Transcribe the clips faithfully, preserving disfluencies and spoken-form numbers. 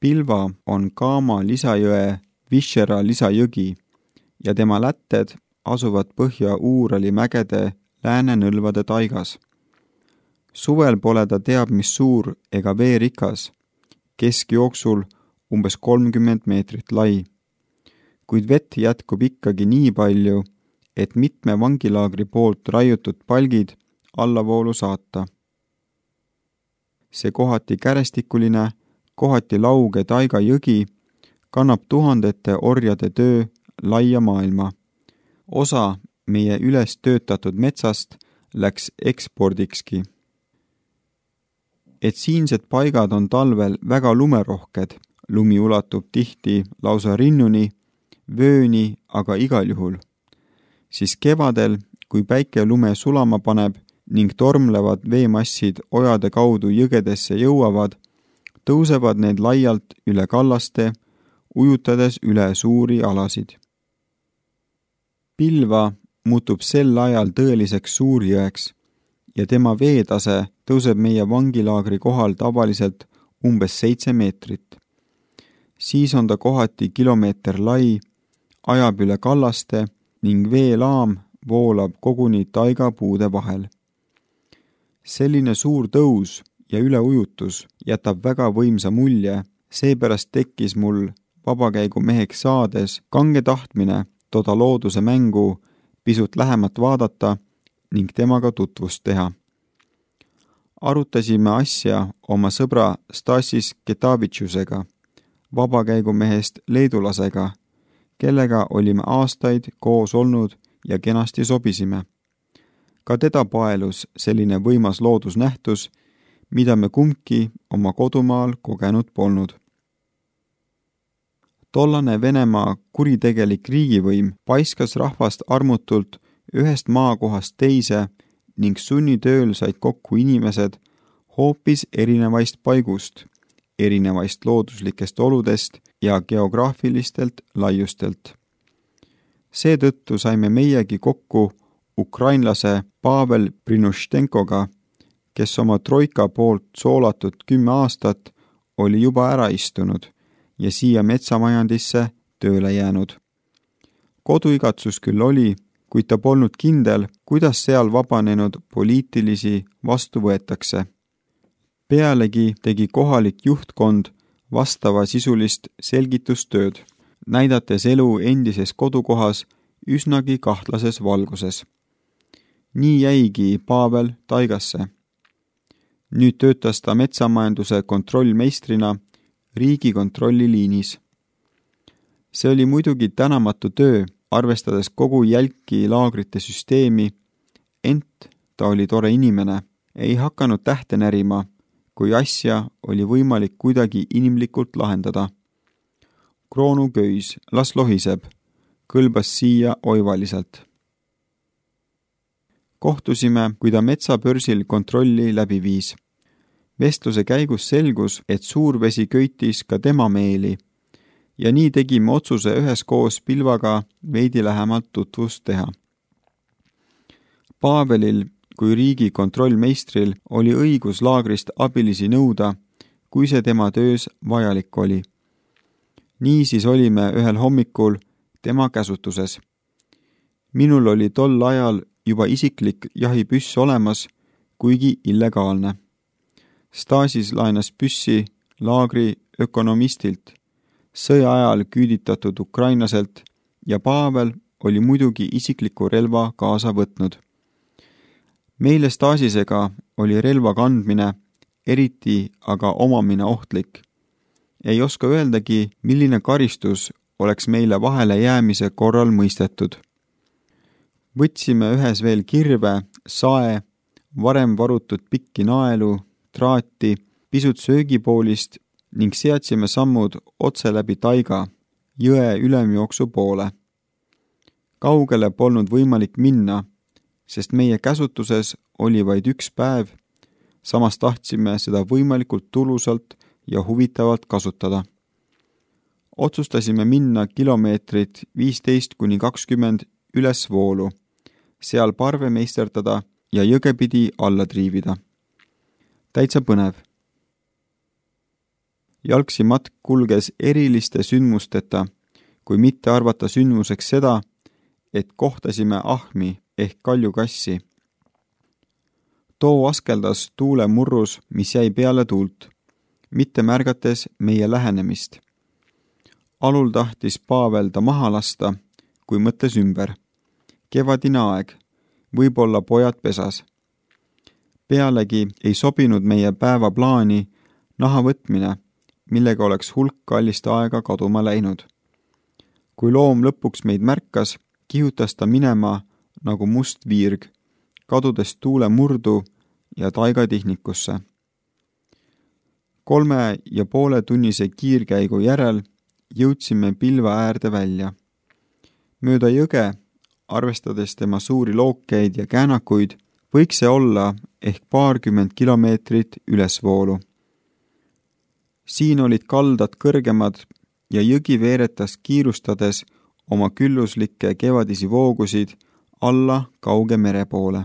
Pilva on Kaama lisajõe Vishera lisajõgi ja tema lätted asuvad Põhja-Uurali mägede läänenõlvade taigas. Suvel pole ta teab mis suur ega veerikas, keskjooksul umbes kolmkümmend meetrit lai, kuid vett jätkub ikkagi nii palju, et mitme vangilaagri poolt raiutud palgid allavoolu saata. See kohati kärestikuline, kohati lauge taiga jõgi kannab tuhandete orjade töö laia maailma. Osa meie üles töötatud metsast läks ekspordikski. Et siinsed paigad on talvel väga lumerohked, lumi ulatub tihti lausa rinnuni, vööni aga igal juhul. Siis kevadel, kui päike lume sulama paneb ning tormlevad veemassid ojade kaudu jõgedesse jõuavad, tõusevad need laialt üle kallaste, ujutades üle suuri alasid. Pilva muutub sel ajal tõeliseks suurjõeks ja tema veetase tõuseb meie vangilaagri kohal tavaliselt umbes seitse meetrit. Siis on ta kohati kilomeeter lai, ajab üle kallaste ning veelaam voolab koguni taigapuude vahel. Selline suur tõus ja üleujutus jätab väga võimsa mulje, seepärast tekkis mul vabakäigumeheks saades kange tahtmine toda looduse mängu pisut lähemat vaadata ning temaga tutvust teha. Arutasime asja oma sõbra Stasis Ketavitšusega, vabakäigumehest leedulasega, kellega olime aastaid koos olnud ja kenasti sobisime. Ka teda paelus selline võimas loodusnähtus, mida me kumbki oma kodumaal kogenud polnud. Tollane Venemaa kuritegelik riigivõim paiskas rahvast armutult ühest maakohast teise ning sunnitööl said kokku inimesed hoopis erinevaist paigust, erinevaist looduslikest oludest ja geograafilistelt laiustelt. Seetõttu saime meiegi kokku ukrainlase Pavel Prinuštenkoga, kes oma troika poolt soolatud kümme aastat oli juba ära istunud ja siia metsamajandisse tööle jäänud. Koduigatsus küll oli, kuid ta polnud kindel, kuidas seal vabanenud poliitilisi vastu võetakse. Pealegi tegi kohalik juhtkond vastava sisulist selgitustööd, näidates elu endises kodukohas üsnagi kahtlases valguses. Nii jäigi Pavel taigasse. Nüüd töötas ta metsamajanduse kontrollmeistrina Riigikontrolli liinis. See oli muidugi tänamatu töö, arvestades kogu jälki laagrite süsteemi, ent ta oli tore inimene, ei hakanud tähte närima, kui asja oli võimalik kuidagi inimlikult lahendada. Kroonuköis, las lohiseb, kõlbas siia oivaliselt. Kohtusime, kui ta metsapörsil kontrolli läbi viis. Vestluse käigus selgus, et suurvesi köitis ka tema meeli ja nii tegime otsuse üheskoos Pilvaga veidi lähemalt tutvust teha. Pavelil kui riigi kontrollmeistril oli õigus laagrist abilisi nõuda, kui see tema töös vajalik oli. Nii siis olime ühel hommikul tema käsutuses. Minul oli tol ajal juba isiklik jahipüss olemas, kuigi illegaalne. Stasis laenas püssi laagri ökonomistilt, sõja ajal küüditatud ukrainaselt ja Pavel oli muidugi isikliku relva kaasa võtnud. Meile Stasisega oli relva kandmine, eriti aga omamine ohtlik. Ei oska öeldagi, milline karistus oleks meile vahele jäämise korral mõistetud. Võtsime ühes veel kirve, sae, varem varutud pikki naelu, traati, pisut söögipoolist ning seadsime sammud otse läbi taiga, jõe ülemjooksu poole. Kaugele polnud võimalik minna, sest meie käsutuses oli vaid üks päev, samas tahtsime seda võimalikult tulusalt ja huvitavalt kasutada. Otsustasime minna kilomeetrit viisteist kuni kakskümmend ülesvoolu, seal parve meisterdada ja jõgepidi alla triivida. Täitsa põnev. Jalgsi matk kulges eriliste sündmusteta, kui mitte arvata sündmuseks seda, et kohtasime ahmi ehk kaljukassi. Too askeldas tuule murrus, mis jäi peale tuult, mitte märgates meie lähenemist. Alul tahtis Pavel ta maha lasta, kui mõtles ümber. Kevadine aeg, võib-olla pojad pesas. Pealegi ei sobinud meie päeva plaani naha võtmine, millega oleks hulk kallist aega kaduma läinud. Kui loom lõpuks meid märkas, kihutas ta minema nagu must viirg, kadudes tuule murdu ja taigatihnikusse. Kolme ja poole tunnise kiirkäigu järel jõudsime pilva äärde välja. Mööda jõge, arvestades tema suuri lookeid ja käänakuid, võiks see olla ehk paarkümmend kilomeetrit ülesvoolu. Siin olid kaldad kõrgemad ja jõgi veeretas kiirustades oma külluslikke kevadisi voogusid alla kauge mere poole.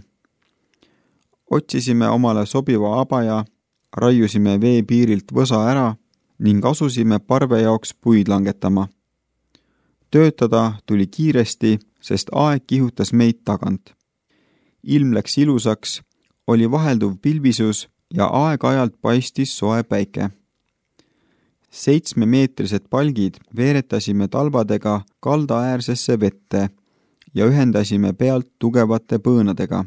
Otsisime omale sobiva abaja, raiusime vee piirilt võsa ära ning asusime parve jaoks puid langetama. Töötada tuli kiiresti, sest aeg kihutas meid tagant. Ilm läks ilusaks, oli vahelduv pilvisus ja aeg-ajalt paistis soe päike. Seitsmemeetrised palgid veeretasime talbadega kaldaäärsesse vette ja ühendasime pealt tugevate põõnadega.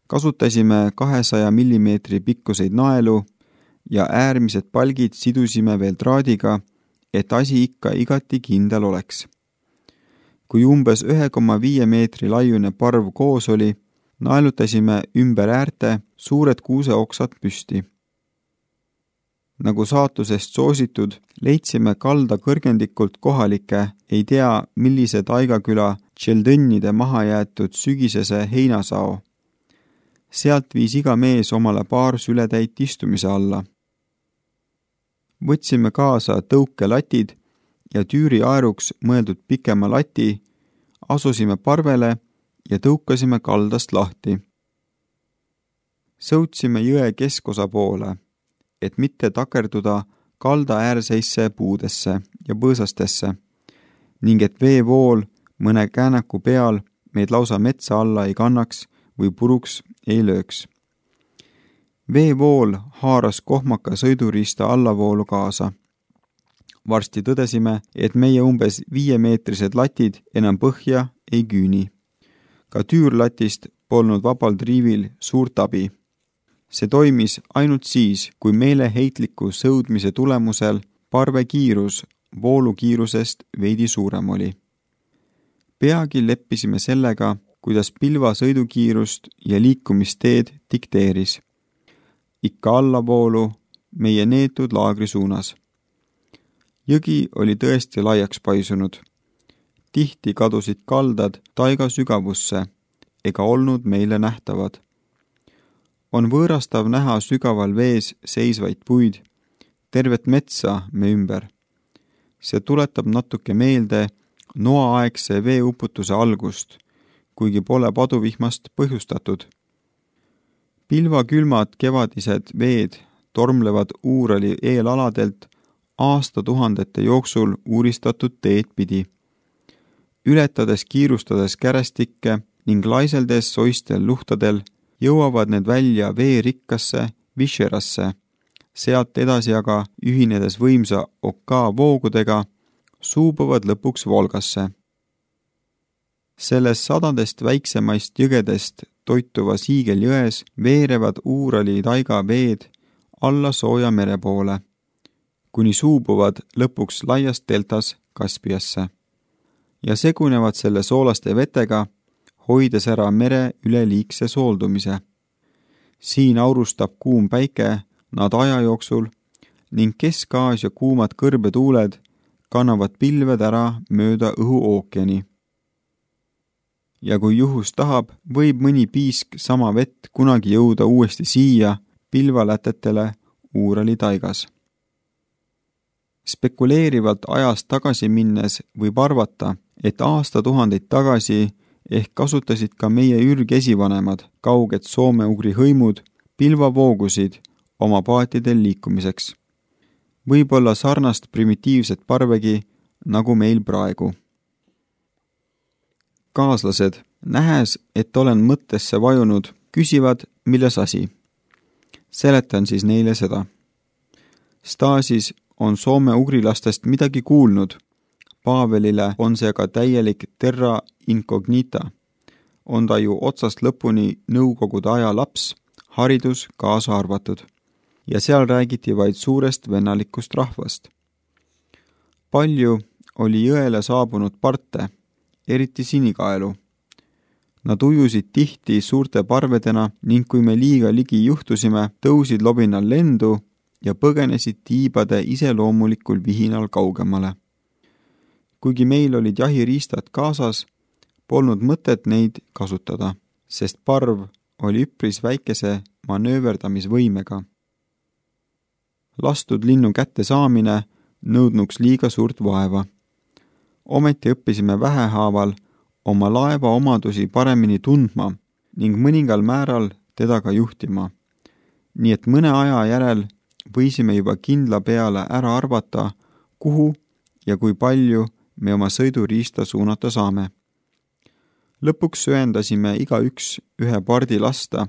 Kasutasime kahesaja millimeetri pikkuseid naelu ja äärmised palgid sidusime veel traadiga, et asi ikka igati kindel oleks. Kui umbes ühe koma viie meetri laiune parv koos oli, naelutasime ümber äärte suured kuuseoksad püsti. Nagu saatusest soositud, leidsime kalda kõrgendikult kohalike, ei tea millise taigaküla tšeldõnnide maha jäetud sügisese heinasao. Sealt viis iga mees omale paar sületäit istumise alla. Võtsime kaasa tõukelatid ja tüüri aeruks mõeldud pikema lati, asusime parvele ja tõukasime kaldast lahti. Sõutsime jõe keskosa poole, et mitte takerduda kalda äärseisse puudesse ja põõsastesse ning et veevool mõne käänaku peal meid lausa metsa alla ei kannaks või puruks ei lööks. Veevool haaras kohmaka sõiduriista allavoolu kaasa. Varsti tõdesime, et meie umbes viiemeetrised latid enam põhja ei küüni. Ka tüürlatist polnud vabal triivil suurt abi. See toimis ainult siis, kui meeleheitliku sõudmise tulemusel parve kiirus voolukiirusest veidi suurem oli. Peagi leppisime sellega, kuidas pilva sõidukiirust ja liikumisteed dikteeris. Ikka allavoolu meie neetud laagri suunas. Jõgi oli tõesti laiaks paisunud. Tihti kadusid kaldad taiga sügavusse ega olnud meile nähtavad. On võõrastav näha sügaval vees seisvaid puid, tervet metsa me ümber. See tuletab natuke meelde noaaegse veeuputuse algust, kuigi pole paduvihmast põhjustatud. Pilvakülmad kevadised veed tormlevad Uurali eelaladelt aastatuhandete jooksul uuristatud teed pidi. Ületades kiirustades kärestikke ning laiseldes soistel luhtadel jõuavad need välja veerikkasse Višerasse, sealt edasi aga ühinedes võimsa Oka voogudega suubuvad lõpuks Volgasse. Selles sadadest väiksemaist jõgedest toituvas hiigeljões veerevad Uurali taiga veed alla sooja mere poole, kuni suubuvad lõpuks laias deltas Kaspiasse ja segunevad selle soolaste vetega, hoides ära mere üleliigse sooldumise. Siin aurustab kuum päike nad aja jooksul ning Kesk-Aasia kuumad kõrbetuuled kannavad pilved ära mööda õhu ookeani. Ja kui juhus tahab, võib mõni piisk sama vett kunagi jõuda uuesti siia pilvalätetele Uurali taigas. Spekuleerivalt ajast tagasi minnes võib arvata, et aastatuhandeid tagasi ehk kasutasid ka meie ürgesivanemad kauged soome-ugri hõimud pilvavoogusid oma paatidel liikumiseks. võib-olla sarnast primitiivset parvegi, nagu meil praegu. Kaaslased, nähes, et olen mõttesse vajunud, küsivad, milles asi. Seletan siis neile seda. Stasis on soome-ugrilastest midagi kuulnud. Paavelile on see aga täielik terra incognita. On ta ju otsast lõpuni nõukogude aja laps, haridus kaasa arvatud. Ja seal räägiti vaid suurest vennalikust rahvast. Palju oli jõele saabunud parte, eriti sinikaelu. Nad ujusid tihti suurte parvedena ning kui me liiga ligi juhtusime, tõusid lobinal lendu ja põgenesid tiibade iseloomulikul vihinal kaugemale. Kuigi meil olid jahiriistad kaasas, polnud mõtet neid kasutada, sest parv oli üpris väikese manööverdamisvõimega. Lastud linnu kätte saamine nõudnuks liiga suurt vaeva. Ometi õppisime vähehaaval oma laeva omadusi paremini tundma ning mõningal määral teda ka juhtima. Nii et mõne aja järel võisime juba kindla peale ära arvata, kuhu ja kui palju me oma sõiduriista suunata saame. Lõpuks söendasime iga üks ühe pardi lasta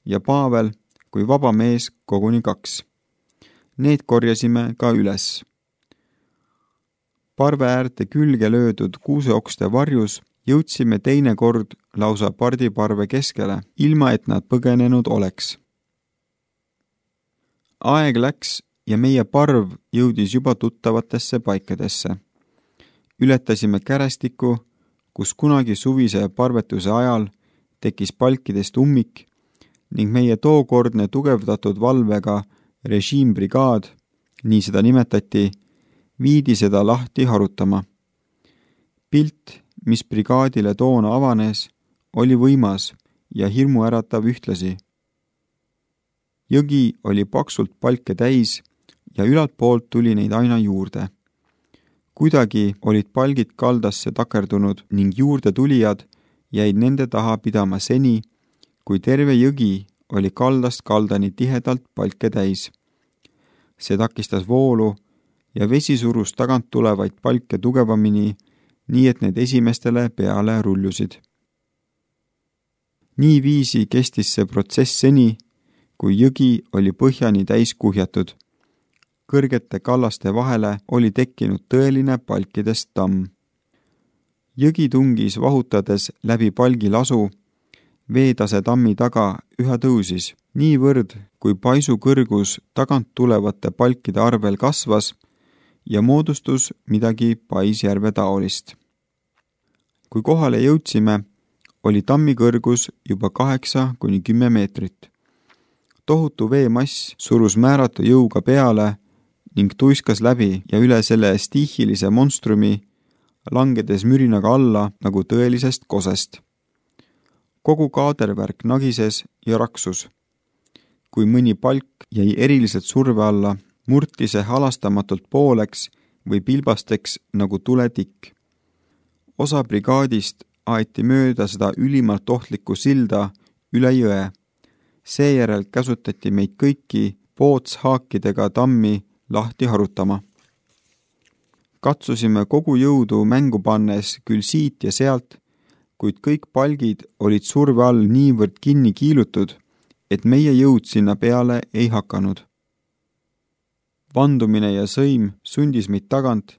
ja Paavel kui vaba mees koguni kaks. Need korjasime ka üles. Parve äärte külge löödud kuuseokste varjus jõudsime teine kord lausa pardiparve keskele, ilma et nad põgenenud oleks. Aeg läks ja meie parv jõudis juba tuttavatesse paikadesse. Ületasime kärestikku, kus kunagi suvise parvetuse ajal tekkis palkidest ummik ning meie tookordne tugevdatud valvega režiimbrigaad, nii seda nimetati, viidi seda lahti harutama. Pilt, mis brigaadile toona avanes, oli võimas ja hirmuäratav ühtlasi. Jõgi oli paksult palke täis ja ülalt poolt tuli neid aina juurde. Kuidagi olid palgid kaldasse takerdunud ning juurde tulijad jäid nende taha pidama seni, kui terve jõgi oli kaldast kaldani tihedalt palke täis. See takistas voolu ja vesi surus tagant tulevaid palke tugevamini, nii et need esimestele peale rullusid. Nii viisi kestis see protsess seni, kui jõgi oli põhjani täis kuhjatud. Kõrgete kallaste vahele oli tekkinud tõeline palkidest tamm. Jõgi tungis vahutades läbi palgi lasu, veetase tammi taga üha tõusis, niivõrd, kui paisu kõrgus tagant tulevate palkide arvel kasvas ja moodustus midagi Paisjärve taolist. Kui kohale jõudsime, oli tammi kõrgus juba kaheksa kuni kümme meetrit. Tohutu veemass surus määratu jõuga peale ning tuiskas läbi ja üle selle stiihilise monstrumi, langedes mürinaga alla nagu tõelisest kosest. Kogu kaadervärk nagises ja raksus. Kui mõni palk jäi eriliselt surve alla, murti see halastamatult pooleks või pilbasteks nagu tuletikk. Osa brigaadist aeti mööda seda ülimalt ohtlikku silda üle jõe. Seejärel käsutati meid kõiki pootshaakidega tammi lahti harutama. Katsusime kogu jõudu mängu pannes küll siit ja sealt, kuid kõik palgid olid surve all niivõrd kinni kiilutud, et meie jõud sinna peale ei hakanud. Vandumine ja sõim sundis meid tagant,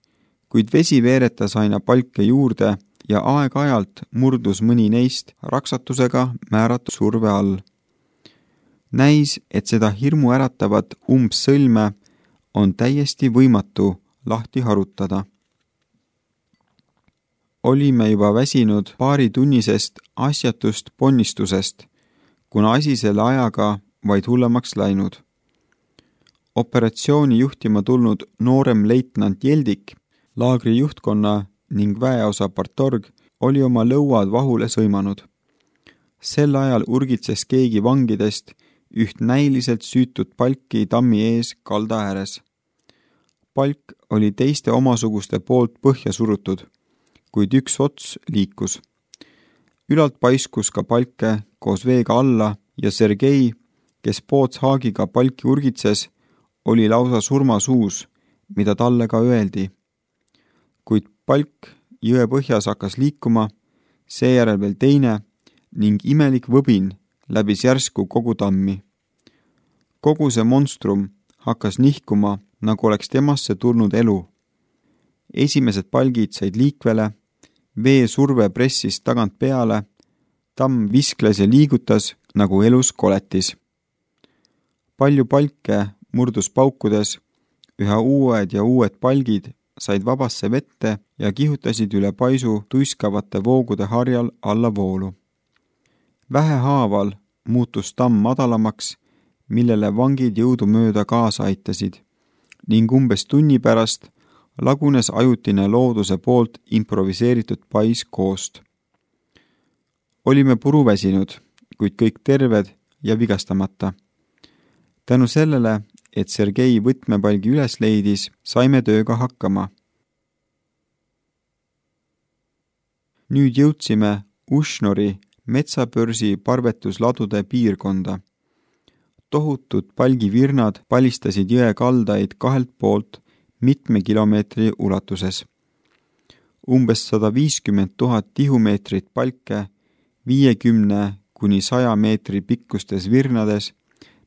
kuid vesi veeretas aina palke juurde ja aeg-ajalt murdus mõni neist raksatusega määratud surve all. Näis, et seda hirmu äratavat umbsõlme on täiesti võimatu lahti harutada. Olime juba väsinud paari tunnisest asjatust ponnistusest, kuna asi selle ajaga vaid hullemaks läinud. Operatsiooni juhtima tulnud noorem leitnant Jeldik, laagri juhtkonna ning väeosa partorg oli oma lõuad vahule sõimanud. Sel ajal urgitses keegi vangidest üht näiliselt süütud palki tammi ees kalda ääres. Palk oli teiste omasuguste poolt põhja surutud, kuid üks ots liikus. Ülalt paiskus ka palke koos veega alla ja Sergei, kes pootshaagiga palki urgitses, oli lausa surmasuus, mida talle ka öeldi. Kuid palk jõe põhjas hakkas liikuma, seejärel veel teine ning imelik võbin läbis järsku kogu tammi. Kogu see monstrum hakkas nihkuma, nagu oleks temasse tulnud elu. Esimesed palgid said liikvele, vee surve pressis tagant peale, tamm viskles ja liigutas nagu elus koletis. Palju palke murdus paukudes, üha uued ja uued palgid said vabasse vette ja kihutasid üle paisu tuiskavate voogude harjal alla voolu. Vähehaaval muutus tamm madalamaks, millele vangid jõudumööda kaasa aitasid, ning umbes tunni pärast lagunes ajutine looduse poolt improviseeritud pais koost. Olime puruväsinud, kuid kõik terved ja vigastamata. Tänu sellele, et Sergei võtmepalgi üles leidis, saime tööga hakkama. Nüüd jõudsime Ushnori metsapörsi parvetusladude piirkonda. Tohutud palgivirnad palistasid jõe kaldaid kahelt poolt mitme kilomeetri ulatuses. Umbes sada viiskümmend tuhat tihumeetrit palke viiekümne kuni saja meetri pikkustes virnades,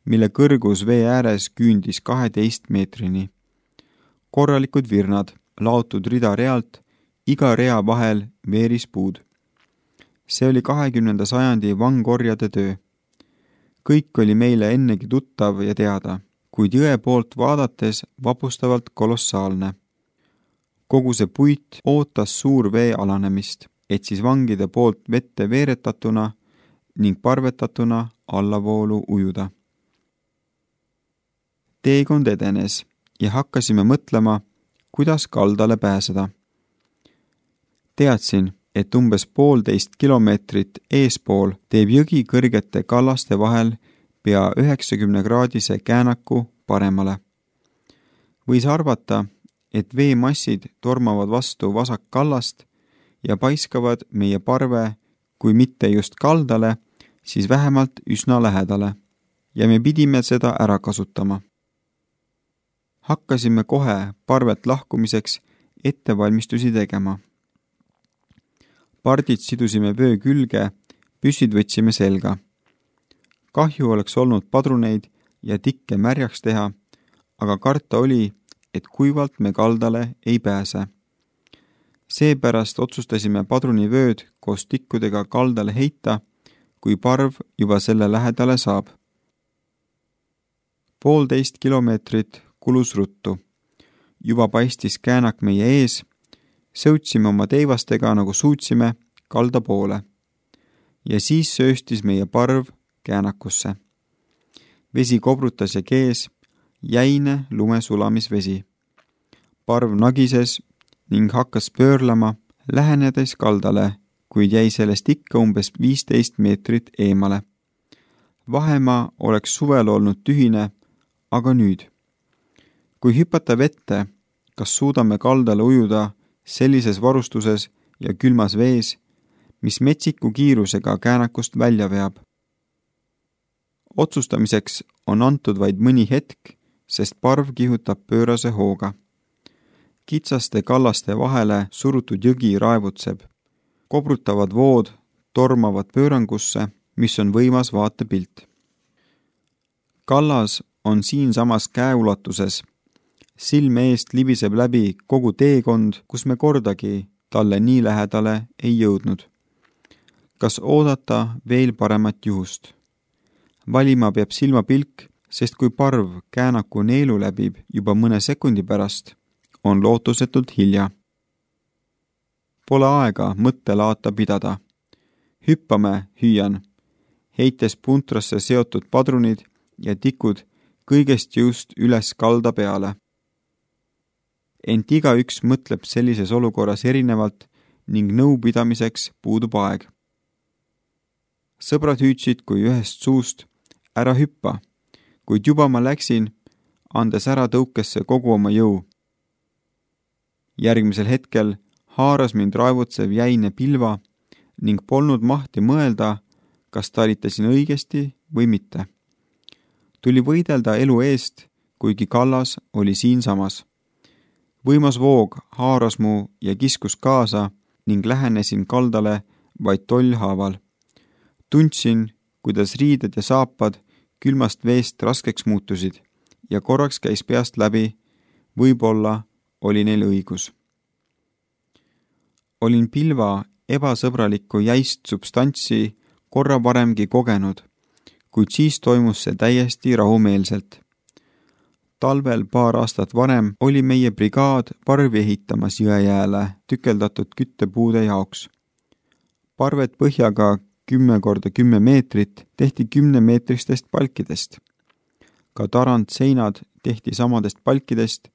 mille kõrgus vee ääres küündis kaheteist meetrini. Korralikud virnad, laotud rida realt, iga rea vahel veerispuud. See oli kahekümnenda sajandi vangorjade töö. Kõik oli meile ennegi tuttav ja teada, kuid jõe poolt vaadates vapustavalt kolossaalne. Kogu see puit ootas suur vee alanemist, et siis vangide poolt vette veeretatuna ning parvetatuna allavoolu ujuda. Teekond edenes ja hakkasime mõtlema, kuidas kaldale pääseda. Teadsin, et umbes poolteist kilomeetrit eespool teeb jõgi kõrgete kallaste vahel pea üheksakümne kraadise käänaku paremale. Võis arvata, et veemassid tormavad vastu vasak kallast ja paiskavad meie parve, kui mitte just kaldale, siis vähemalt üsna lähedale, ja me pidime seda ära kasutama. Hakkasime kohe parvet lahkumiseks ettevalmistusi tegema. Pardid sidusime vöö külge, püssid võtsime selga. Kahju oleks olnud padruneid ja tikke märjaks teha, aga karta oli, et kuivalt me kaldale ei pääse. Seepärast otsustasime padrunivööd koos tikkudega kaldale heita, kui parv juba selle lähedale saab. Poolteist kilomeetrit kulus ruttu. Juba paistis käänak meie ees, sõutsime oma teivastega nagu suutsime kalda poole ja siis sööstis meie parv käänakusse. Vesi kobrutas ja kees, jäine lumesulamisvesi. Parv nagises ning hakkas pöörlema, lähenedes kaldale, kuid jäi sellest ikka umbes viisteist meetrit eemale. Vahemaa oleks suvel olnud tühine, aga nüüd. Kui hüpata vette, kas suudame kaldale ujuda sellises varustuses ja külmas vees, mis metsiku kiirusega käänakust välja veab. Otsustamiseks on antud vaid mõni hetk, sest parv kihutab pöörase hooga. Kitsaste kallaste vahele surutud jõgi raevutseb. Kobrutavad vood tormavad pöörangusse, mis on võimas vaatepilt. Kallas on siinsamas käeulatuses. Silme eest libiseb läbi kogu teekond, kus me kordagi talle nii lähedale ei jõudnud. Kas oodata veel paremat juhust? Valima peab silmapilk, sest kui parv käänaku neelu läbib juba mõne sekundi pärast, on lootusetult hilja. Pole aega mõttelaata pidada. Hüppame, hüüan, heites puntrasse seotud padrunid ja tikud kõigest jõust üles kalda peale. Ent igaüks mõtleb sellises olukorras erinevalt ning nõupidamiseks puudub aeg. Sõbrad hüüdsid kui ühest suust, ära hüppa, kuid juba ma läksin, andes ära tõukesse kogu oma jõu. Järgmisel hetkel haaras mind raevutsev jäine pilva ning polnud mahti mõelda, kas talitasin õigesti või mitte. Tuli võidelda elu eest, kuigi kallas oli siinsamas. Võimas voog haaras mu ja kiskus kaasa ning lähenesin kaldale vaid tollhaaval. Tundsin, kuidas riided ja saapad külmast veest raskeks muutusid ja korraks käis peast läbi, võib-olla oli neil õigus. Olin pilva ebasõbralikku jäist substantsi korra varemgi kogenud, kuid siis toimus see täiesti rahumeelselt. Talvel paar aastat varem oli meie brigaad parvi ehitamas Jõejääle tükeldatud küttepuude jaoks. Parved põhjaga kümme korda kümme meetrit tehti kümnemeetristest palkidest. Ka tarand seinad tehti samadest palkidest,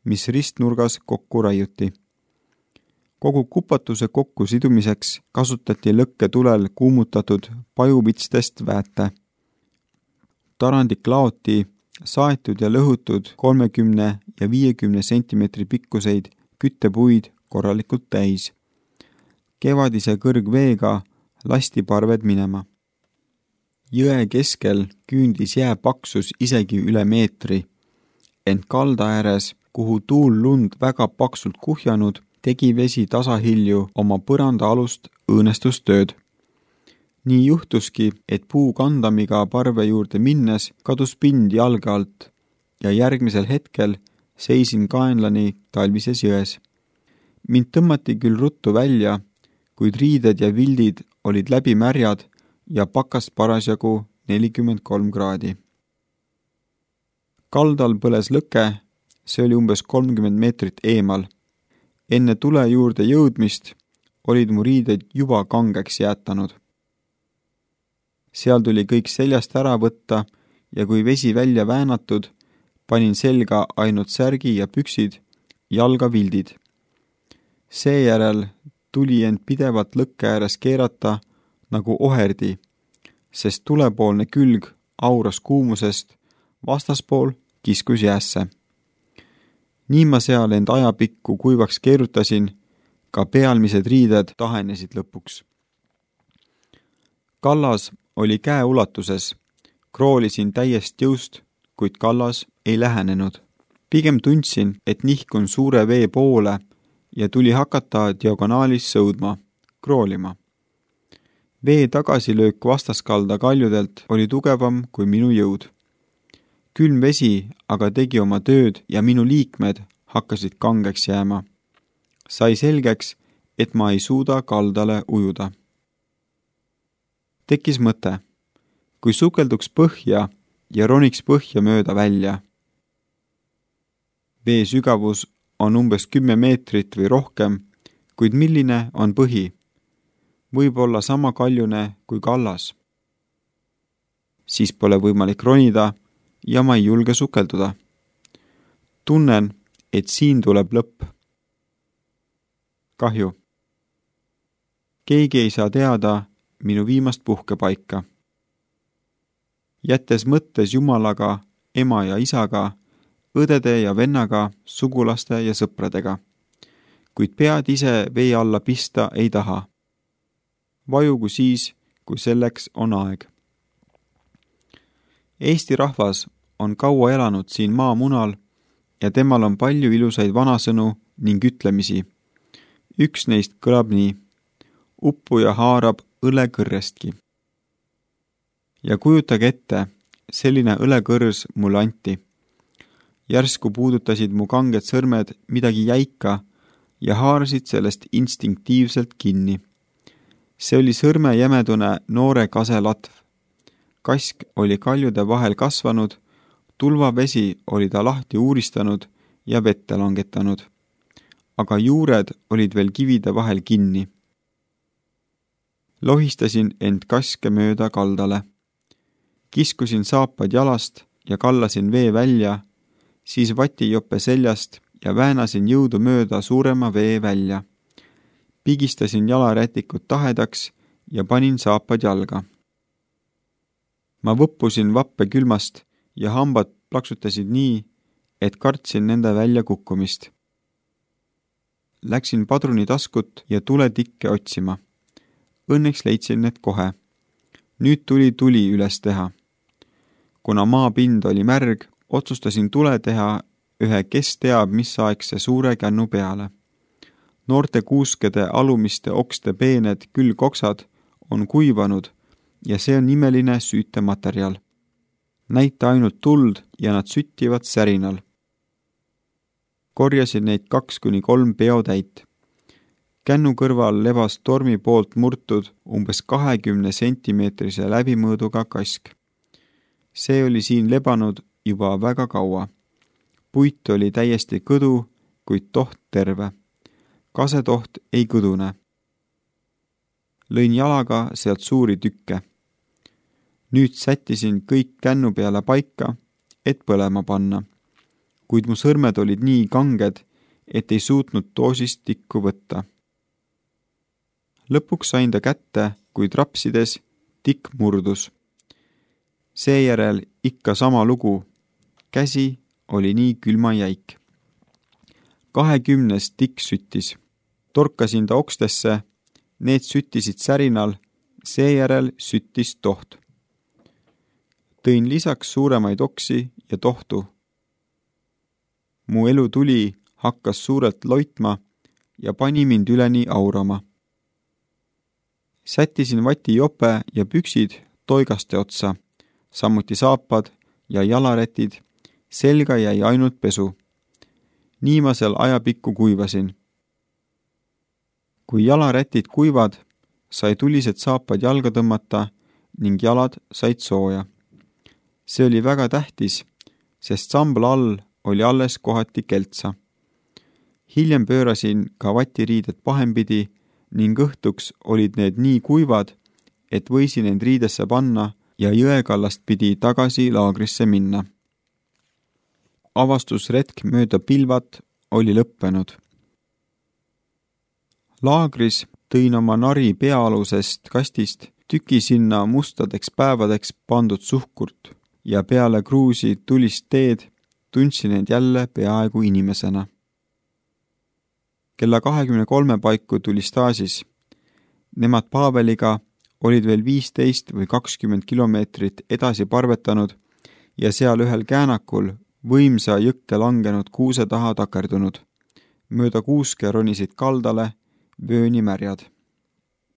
mis ristnurgas kokku raiuti. Kogu kupatuse kokku sidumiseks kasutati lõkke tulel kuumutatud pajuvitstest väete. Tarandik laoti saetud ja lõhutud kolmekümne ja viiekümne sentimeetri pikkuseid küttepuid korralikult täis. Kevadise kõrgveega lasti parved minema. Jõe keskel küündis jää paksus isegi üle meetri, ent kalda ääres, kuhu tuul lund väga paksult kuhjanud, tegi vesi tasahilju oma põranda alust õõnestustööd. Nii juhtuski, et puu kandamiga parve juurde minnes kadus pind jalge alt ja järgmisel hetkel seisin kaenlani talvises jões. Mind tõmmati küll ruttu välja, kuid riided ja vildid olid läbi märjad ja pakast parasjagu nelikümmend kolm kraadi. Kaldal põles lõke, see oli umbes kolmkümmend meetrit eemal. Enne tule juurde jõudmist olid mu riided juba kangeks jäätanud. Seal tuli kõik seljast ära võtta ja kui vesi välja väänatud, panin selga ainult särgi ja püksid, jalga vildid. Seejärel tuli end pidevalt lõkke ääres keerata nagu oherdi, sest tulepoolne külg auras kuumusest, vastaspool kiskus jäässe. Nii ma seal end ajapikku kuivaks keerutasin, ka pealmised riided tahenesid lõpuks. Kallas oli käe ulatuses, kroolisin täiest jõust, kuid kallas ei lähenenud. Pigem tundsin, et nihkun suure vee poole ja tuli hakata diagonaalis sõudma, kroolima. Vee tagasilöök vastaskalda kaljudelt oli tugevam kui minu jõud. Külm vesi aga tegi oma tööd ja minu liikmed hakkasid kangeks jääma. Sai selgeks, et ma ei suuda kaldale ujuda. Tekkis mõte, kui sukelduks põhja ja roniks põhja mööda välja. Vee sügavus on umbes kümme meetrit või rohkem, kuid milline on põhi? Võib olla sama kaljune kui kallas. Siis pole võimalik ronida ja ma ei julge sukelduda. Tunnen, et siin tuleb lõpp. Kahju. Keegi ei saa teada minu viimast puhkepaika. Jättes mõttes Jumalaga, ema ja isaga, õdede ja vennaga, sugulaste ja sõpradega. Kuid pead ise vee alla pista ei taha. Vajugu siis, kui selleks on aeg. Eesti rahvas on kaua elanud siin maamunal ja temal on palju ilusaid vanasõnu ning ütlemisi. Üks neist kõlab nii. Uppuja haarab õlekõrrestki. Ja kujutage ette, selline õlekõrs mulle anti. Järsku puudutasid mu kanged sõrmed midagi jäika ja haarasid sellest instinktiivselt kinni. See oli sõrme jämedune noore kaselatv. Kask oli kaljude vahel kasvanud, tulvavesi oli ta lahti uuristanud ja vette langetanud. Aga juured olid veel kivide vahel kinni. Lohistasin end kaske mööda kaldale. Kiskusin saapad jalast ja kallasin vee välja, siis vatijope seljast ja väänasin jõudu mööda suurema vee välja. Pigistasin jalarätikut tahedaks ja panin saapad jalga. Ma võppusin vappe külmast ja hambad plaksutasid nii, et kartsin nende välja kukkumist. Läksin padrunitaskut ja tuletikke otsima. Õnneks leidsin need kohe. Nüüd tuli tuli üles teha. Kuna maapind oli märg, otsustasin tule teha ühe kes teab mis aegse suure kännu peale. Noorte kuuskede alumiste okste peened külgoksad on kuivanud ja see on imeline süütematerjal. Näita ainult tuld ja nad süttivad särinal. Korjasin neid kaks kuni kolm peotäit. Kännu kõrval lebas tormi poolt murtud umbes kahekümne sentimeetrise läbimõõduga kask. See oli siin lebanud juba väga kaua. Puit oli täiesti kõdu, kuid toht terve. Kasetoht ei kõdune. Lõin jalaga sealt suuri tükke. Nüüd sättisin kõik kännu peale paika, et põlema panna, kuid mu sõrmed olid nii kanged, et ei suutnud doosist tikku võtta. Lõpuks sain ta kätte, kuid rapsides tikk murdus. Seejärel ikka sama lugu. Käsi oli nii külma jäik. Kahekümnes tikk süttis. Torkasin ta okstesse, need süttisid särinal, seejärel süttis toht. Tõin lisaks suuremaid oksi ja tohtu. Mu elu tuli hakkas suurelt loitma ja pani mind üleni aurama. Sättisin vati jope ja püksid toigaste otsa, samuti saapad ja jalarätid, selga jäi ainult pesu. Nii ma seal ajapikku kuivasin. Kui jalarätid kuivad, sai tulised saapad jalga tõmmata ning jalad said sooja. See oli väga tähtis, sest sambla all oli alles kohati keltsa. Hiljem pöörasin ka vatiriided pahempidi ning õhtuks olid need nii kuivad, et võisin end riidesse panna ja jõekallast pidi tagasi laagrisse minna. Avastusretk mööda pilvat oli lõppenud. Laagris tõin oma nari peaalusest kastist tüki sinna mustadeks päevadeks pandud suhkurt ja peale kruusi tulist teed tundsin end jälle peaaegu inimesena. Kella kahekümne kolme paiku tuli staasis. Nemad Paaveliga olid veel viisteist või kakskümmend kilomeetrit edasi parvetanud ja seal ühel käänakul võimsa jõkke langenud kuuse taha takerdunud. Mööda kuuske ronisid kaldale vööni märjad.